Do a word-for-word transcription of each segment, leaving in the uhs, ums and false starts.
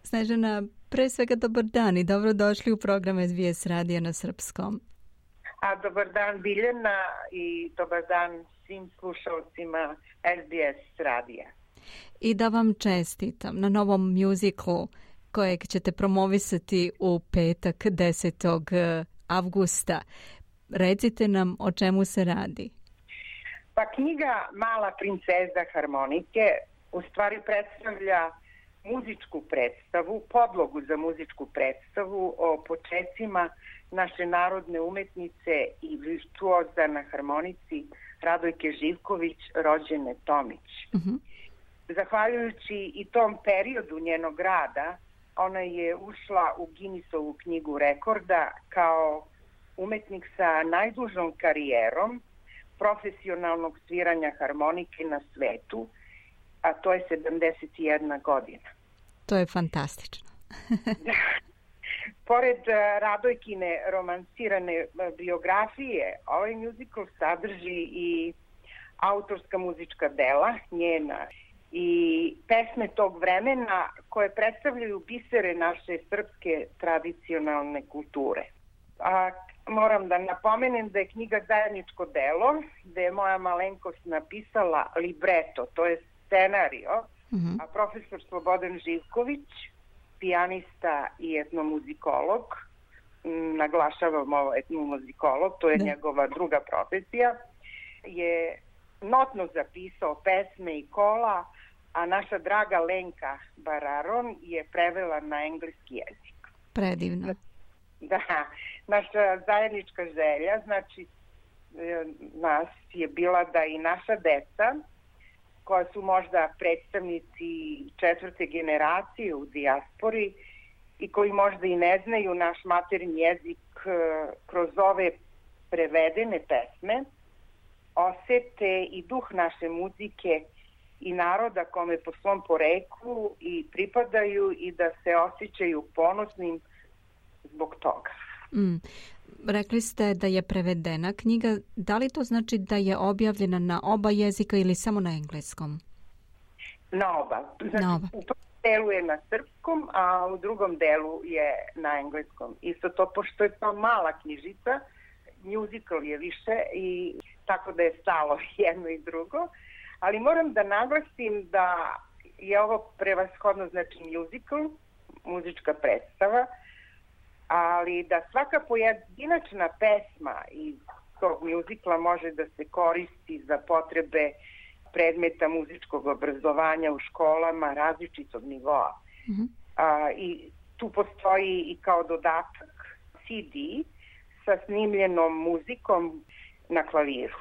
Snežana, pre svega dobar dan i dobrodošli u program S B S radija na srpskom. A dobar dan Biljana i dobar dan svim slušalcima S B S radija. I da vam čestitam na novom muziklu kojeg ćete promovisati u petak desetog avgusta. Recite nam o čemu se radi. Pa knjiga Mala princeza harmonike u stvari predstavlja muzičku predstavu, podlogu za muzičku predstavu o počecima naše narodne umetnice i virtuoza na harmonici Radojke Živković, rođene Tomić. Uh-huh. Zahvaljujući i tom periodu njenog rada, ona je ušla u Guinnessovu knjigu rekorda kao umetnik sa najdužom karijerom profesionalnog sviranja harmonike na svetu, a to je sedamdeset jedna godina. To je fantastično. Pored Radojkine romansirane biografije, ovaj muzikal sadrži i autorska muzička dela njena i pesme tog vremena koje predstavljaju bisere naše srpske tradicionalne kulture. A moram da napomenem da je knjiga zajedničko delo, da je moja malenkost napisala libreto, to je scenario, uh-huh. a profesor Slobodan Živković, pijanista i etnomuzikolog, naglašavam ovo etnomuzikolog, to je da. njegova druga profesija, je notno zapisao pesme i kola, a naša draga Lenka Bararon je prevela na engleski jezik. Predivno. Da, naša zajednička želja, znači nas je bila da i naša deca, koja su možda predstavnici četvrte generacije u dijaspori i koji možda i ne znaju naš maternji jezik, kroz ove prevedene pesme osete i duh naše muzike i naroda kome po svom poreklu i pripadaju i da se osjećaju ponosnim zbog toga. Mm. Rekli ste da je prevedena knjiga. Da li to znači da je objavljena na oba jezika ili samo na engleskom? Na oba. Znači, na oba. U prvom delu je na srpskom, a u drugom delu je na engleskom. Isto to, pošto je to mala knjižica, muzikal je više i tako da je stalo jedno i drugo. Ali moram da naglasim da je ovo prevashodno znači muzikal, muzička predstava, ali da svaka pojedinačna pesma iz tog muzikla može da se koristi za potrebe predmeta muzičkog obrazovanja u školama različitog nivoa. Mm-hmm. A, i tu postoji i kao dodatak C D sa snimljenom muzikom na klaviru.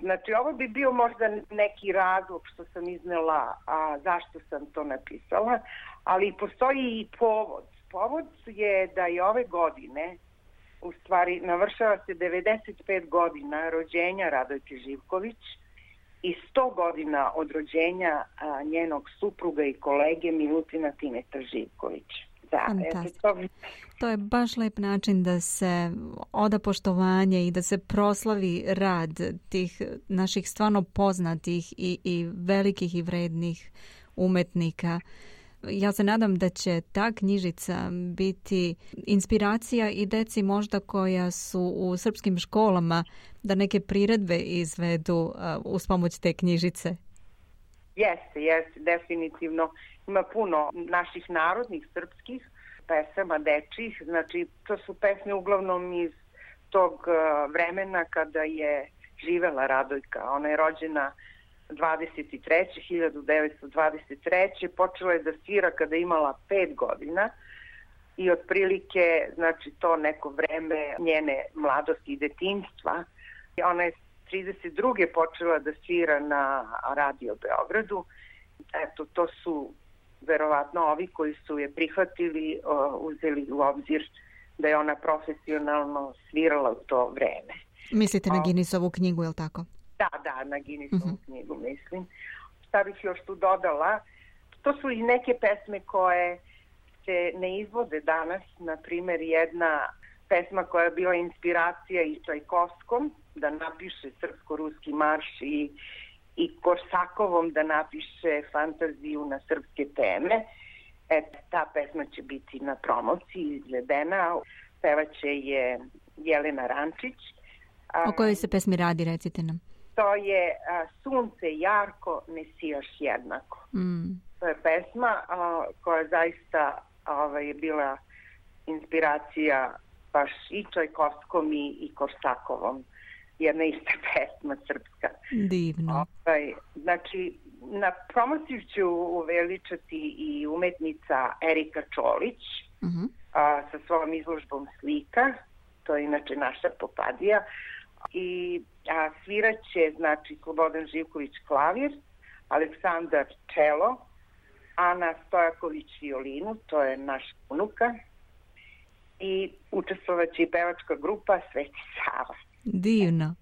Znači, ovo bi bio možda neki razlog što sam iznela, a zašto sam to napisala, ali postoji i povod. Povod je da je ove godine, u stvari navršava se devedeset pet godina rođenja Radojke Živković i sto godina od rođenja a, njenog supruga i kolege Milutina Timeta Živković. Da, eto, to... to je baš lep način da se oda poštovanje i da se proslavi rad tih naših stvarno poznatih i, i velikih i vrednih umetnika. Ja se nadam da će ta knjižica biti inspiracija i deci možda koja su u srpskim školama da neke priredbe izvedu uh, uz pomoć te knjižice. Jeste, jeste, definitivno. Ima puno naših narodnih srpskih pesama, dečjih, znači to su pesme uglavnom iz tog uh, vremena kada je živela Radojka. Ona je rođena hiljadu devetsto dvadeset treće počela je da svira kada je imala pet godina i otprilike, znači to neko vreme njene mladosti i detinjstva. Ona je trideset druge počela da svira na Radio Beogradu. Eto, to su verovatno ovi koji su je prihvatili, uzeli u obzir da je ona profesionalno svirala u to vreme. Mislite na Guinnessovu knjigu, je li tako? Da, da, na Guinnessovu uh-huh. knjigu mislim. Šta bih još tu dodala? To su i neke pesme koje se ne izvode danas. Na primjer, jedna pesma koja je bila inspiracija i Čajkovskom da napiše srpsko-ruski marš i, i Korsakovom da napiše fantaziju na srpske teme. E, ta ta pesma će biti na promociji izvedena. Pevaće je Jelena Rančić. O kojoj se pesmi radi, recite nam? To je a, Sunce jarko, ne sijaš jednako. Mm. To je pesma a, koja zaista a, je bila inspiracija baš i Čajkovskom i, i Korsakovom. Jedna ista pesma srpska. Divno. Ovaj, znači, na promociju ću uveličati i umetnica Erika Čolić uh-huh. a, sa svojom izložbom slika. To je inače naša Popadija. I a, sviraće, znači, Slobodan Živković klavir, Aleksandar čelo, Ana Stojaković violinu, to je naš unuka, i učestvovaće i pevačka grupa Sveti Sava. Divno.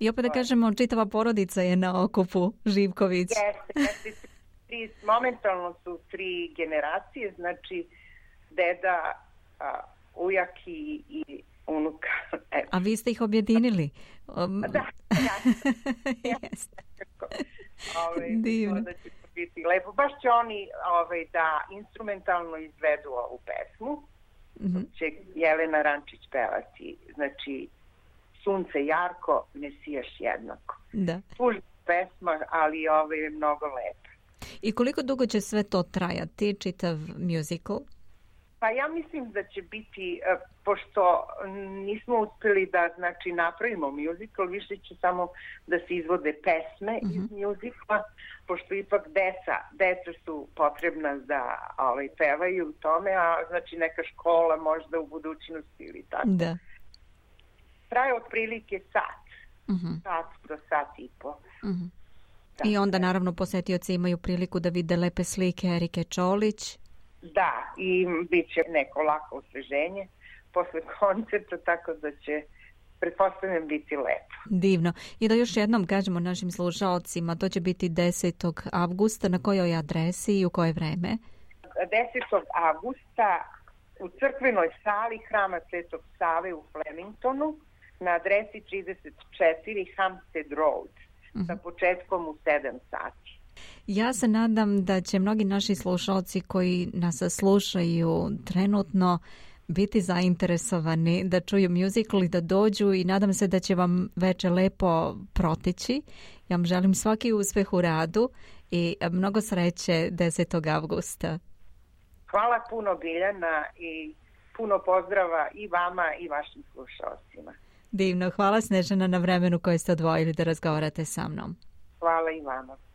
I opet da kažemo, čitava porodica je na okupu Živković. Jeste, jeste. Tri, momentalno su tri generacije, znači deda, a, ujak i, i unuka. Evo. A vi ste ih objedinili? Um... Da, ja. Jeste. Ove, divno. Da će biti lepo. Baš će oni ove, da instrumentalno izvedu ovu pesmu. Mm-hmm. Će Jelena Rančić pevati, znači Sunce jarko, ne sijaš jednako. Da. Tužna pesma, ali ovo je mnogo lepa. I koliko dugo će sve to trajati, čitav musical? Pa ja mislim da će biti, pošto nismo uspjeli da znači napravimo musical, više će samo da se izvode pesme mm-hmm. iz musicala, pošto ipak deca, deca su potrebna da ovaj, pevaju u tome, a znači neka škola možda u budućnosti ili tako. Da. Traje otprilike sat, mm-hmm. sat do sat i po. Mm-hmm. I onda naravno posetioci imaju priliku da vide lepe slike Erike Čolić. Da, i bit će neko lako osveženje posle koncerta, tako da će, pretpostavljam, biti lepo. Divno. I da još jednom kažemo našim slušaocima, to će biti desetog avgusta, na kojoj adresi i u koje vreme? desetog avgusta u crkvenoj sali Hrama Svetog Save u Flemingtonu na adresi trideset četiri Hampstead Road, uh-huh. sa početkom u sedam sati. Ja se nadam da će mnogi naši slušalci koji nas slušaju trenutno biti zainteresovani da čuju musical i da dođu i nadam se da će vam veče lepo proteći. Ja vam želim svaki uspeh u radu i mnogo sreće desetog avgusta. Hvala puno Biljana i puno pozdrava i vama i vašim slušalcima. Divno, hvala Snežana na vremenu koje ste odvojili da razgovarate sa mnom. Hvala i vama.